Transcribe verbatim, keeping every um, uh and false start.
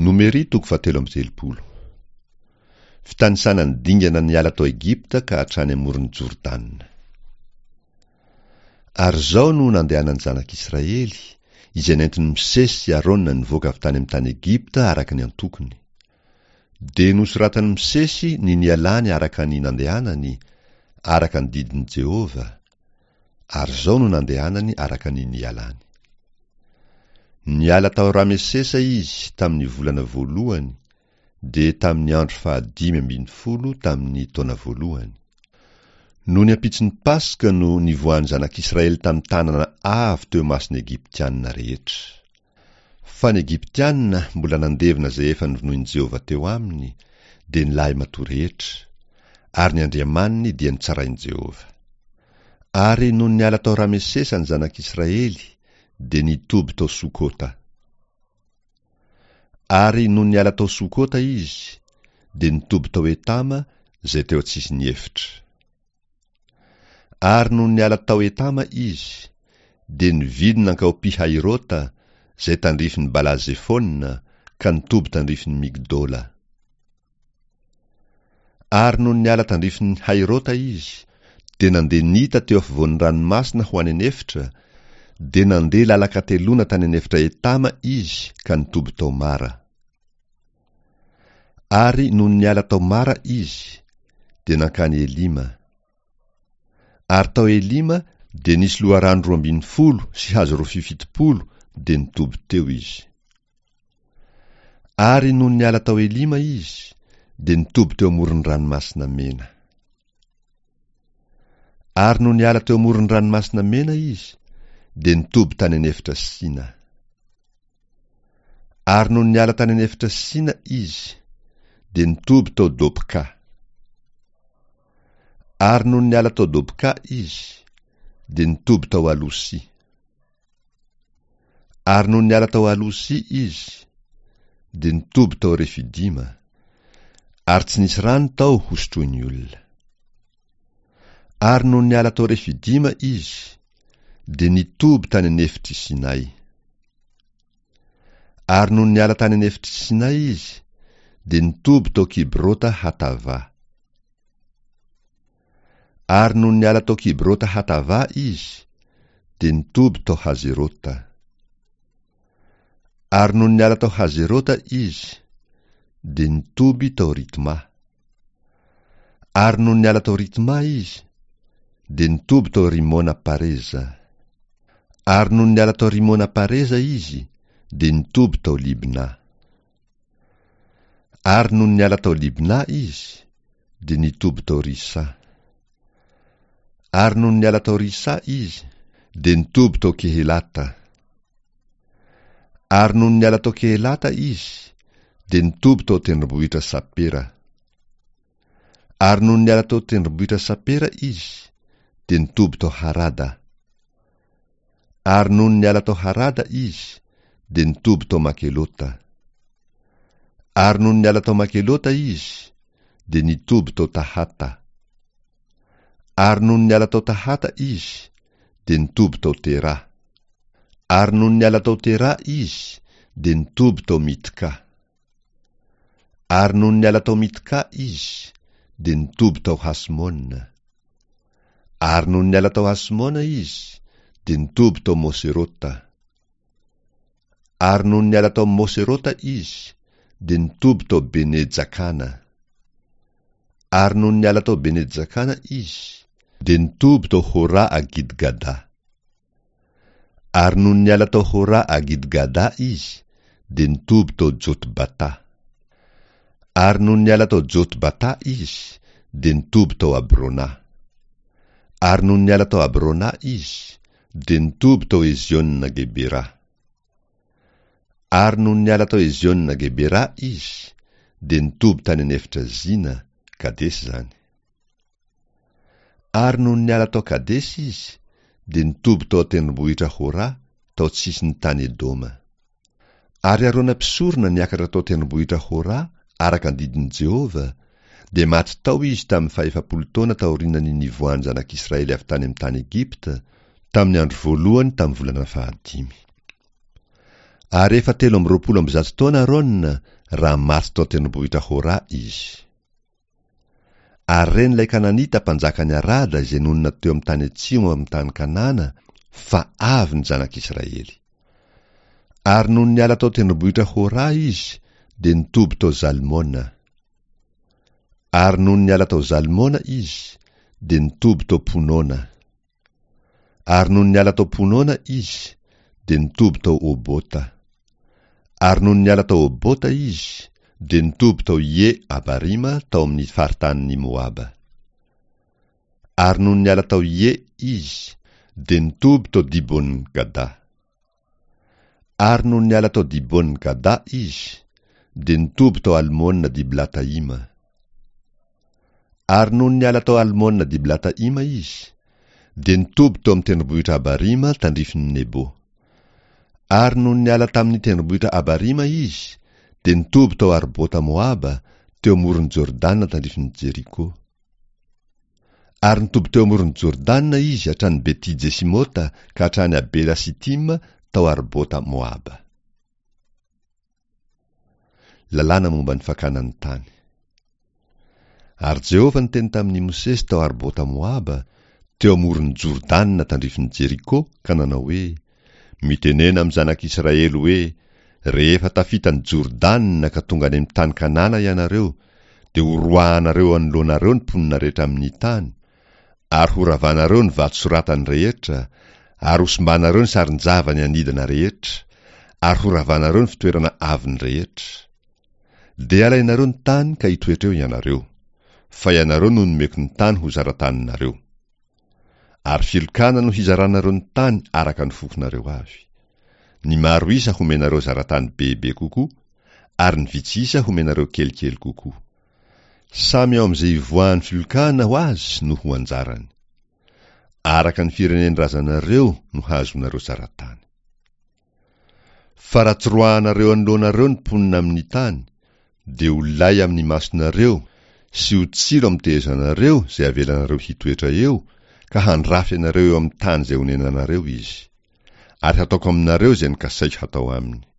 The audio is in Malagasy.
Nomery toko fahatelo amby telopolo. Fitanisana ny dingana niala tao Egypta ka hatrany amoron'i Jordana. Ary izao no nandehanan'ny zanak'Israely, izay nentin'i Mosesy sy Arona nivoaka avy tany amin'ny tany Egypta araka ny antokony. Dia nosoratan'i Mosesy ny nialany araka ny nandehanany, araka ny didin'i Jehovah, ary izao no nandehanany araka ny nialany. Niala tao Ramesesa izy tamin'ny volana voalohany, dia tamin'ny andro fahadimy ambin'ny folo tamin'ny taona voalohany. Nony ampitson'ny Paska no nivoahan'ny zanak'Israely tamin'ny tanana avo teo imason'ny Egyptianina rehetra. Fa ny Egyptianina mbola nandevina izay efa novonoin'i Jehovah teo aminy, dia ny lahimatoa rehetra, ary ny andriamaniny dia nitsarain'i Jehovah. Ary nony niala tao Ramesesa ny zanak'Israely, dia nitoby tao Sokota. Ary nony niala tao Sokota izy, dia nitoby tao Etama, izay teo an-tsisin'ny efitra. Ary nony niala tao Etama izy, dia nividy nankao Pi-Hairota, izay tandrifin'i Bala-Zefona, ka nitoby tandrifin'i Migdola. Ary nony niala tandrifin'i Hairota izy, dia nandeha nita teo afovoan'ny ranomasina ho any an'efitra, dia nandeha lalan-kateloana tany an'efitra Etama izy ka nitoby tao Mara. Ary nony niala tao Mara izy, dia nankany Elima. Ary tao Elima dia nisy loharano roa ambin'ny folo sy hazo rofia fitopolo, dia nitoby teo izy. Ary nony niala tao Elima izy, dia nitoby teo amoron'ny ranomasina Mena. Ary nony niala teo amoron'ny ranomasina Mena izy, dia nitoby tany an'efitra Sina. Ary nony niala tany an'efitra Sina izy, dia nitoby tao Dopka. Ary nony niala tao Dopka izy, dia nitoby tao Alosia. Ary nony niala tao Alosia izy, dia nitoby tao Refidima, ary tsy nisy rano tao hosotroin'ny olona. Ary nony niala tao Refidima izy, dia nitoby tany an'efitr'i Sinay. Ary nony niala tany an'efitr'i Sinay izy, dia nitoby tao Kibrota Hatava. Ary nony niala tao Kibrota Hatava izy, dia nitoby tao Hazerota. Ary nony niala tao Hazerota izy, dia nitoby tao Ritma. Ary nony niala tao Ritma izy, dia nitoby tao Rimona Pareza. Ary nony niala tao Rimona Pareza izy, dia nitoby tao Libna. Ary nony niala tao Libna izy, dia nitoby tao Risa. Ary nony niala tao Risa izy, dia nitoby tao Kehelata. Ary nony niala tao Kehelata izy, dia nitoby tao tendrombohitra Sapera. Ary nony niala tao tendrombohitra Sapera izy, dia nitoby tao Harada. Ary nony niala tao Harada izy, dia nitoby tao Makelota. Ary nony niala tao Makelota izy, dia nitoby tao Tahata. Ary nony niala tao Tahata izy, dia nitoby tao Tera. Ary nony niala tao Tera izy, dia nitoby tao Mitka. Ary nony niala tao Mitka izy, dia nitoby tao Hasmona. Ary nony niala tao Hasmona izy, dia nitoby tao Moserota. Ary nony niala tao Moserota izy, dia nitoby tao Bene-Jakana. Ary nony niala tao Bene-Jakana izy, dia nitoby tao Hora Agidgada. Ary nony niala tao Hora Agidgada izy, dia nitoby tao Jotbata. Ary nony niala tao Jotbata izy, dia nitoby tao Abrona. Ary nony niala tao Abrona izy, dia nitoby tao Eziona Gebera. Ary nony niala tao Eziona Gebera izy, dia nitoby tany an'efitra Zina, Kadesy izany. Ary nony niala tao Kadesy izy, dia nitoby tao an-tendrombohitra Hora, tao tsisin'ny tany Edoma. Ary Arona mpisorona niakatra tao an-tendrombohitra Hora, araka ny didin'i Jehovah, dia maty tao izy tamin'ny fahefapolo taona taorian'ny nivoahan'ny zanak'Israely avy tany amin'ny tany Egypta, tamin'ny andro voalohany tamin'ny volana fahadimy. Ary efa telo amby roapolo amby zato taona Arona raha maty tao an-tendrombohitra Hora izy. Ary ren'ilay Kananita mpanjakan'i Arada izay nonina teo amin'ny tany atsimo amin'ny tany Kanana fa avy ny zanak'Israely. Ary nony niala tao an-tendrombohitra Hora izy dia nitoby tao Zalmona. Ary nony niala tao Zalmona izy dia nitoby tao Ponona. Ary nony niala tao Ponona izy dia nitoby tao Obota. Ary nony niala tao Obota izy dia nitoby tao Ie-Abarima tao amin'ny faritanin'i Moaba. Ary nony niala tao Ie izy dia nitoby tao Dibon-Gada. Ary nony niala tao Dibon-Gada izy dia nitoby tao Almona-Diblataima. Ary nony niala tao Almona-Diblataima izy dia nitoby tao amin'ny tendrombohitra Abarima tandrifin'i Nebo. Ary nony niala tamin'ny tendrombohitra Abarima izy dia nitoby tao Arbota Moaba teo amoron'i Jordana tandrifin'i Jeriko. Ary nitoby teo amoron'i Jordana izy hatrany Beti-Jesimota ka hatrany Abela-Sitima tao Arbota Moaba. Lalàna momba ny fakana ny tany. Ary Jehovah niteny tamin'i Mosesy tao Arbota Moaba, teo amoron'i Jordana tandrifin'i Jeriko, ka nanao hoe: Mitenena amin'ny zanak'Israely hoe: Rehefa tafita ny Jordana ka tonga any amin'ny tany Kanana ianareo, dia horoahanareo anoloanareo ny mponina rehetra amin'ny tany, ary horavanareo ny vato soratany rehetra, ary hosimbanareo ny sarin-javany anidina rehetra, ary horavanareo ny fitoerana avony rehetra. Dia alainareo ny tany ka hitoetra eo ianareo, fa ianareo no nomeko ny tany ho zarataninareo. Ary filokana no hizaranareo ny tany araka ny fokonareo avy. Ny maro isa homenareo zaratany bebe kokoa, ary ny vitsy isa homenareo kelikely kokoa. Samy ao amin'izay ivoahan'ny filokana ho azy no ho anjarany. Araka ny firenen-drazanareo no hahazoanareo zaratany. Fa raha tsy roahanareo anoloanareo ny mponina amin'ny tany, dia ho lay amin'ny masonareo sy ho tsilo amin'ny tehezanareo izay avelanareo hitoetra eo, ka handrafy anareo eo amin'ny tany izay onenanareo izy. Ary hataoko aminareo izay nokasaiko hatao aminy.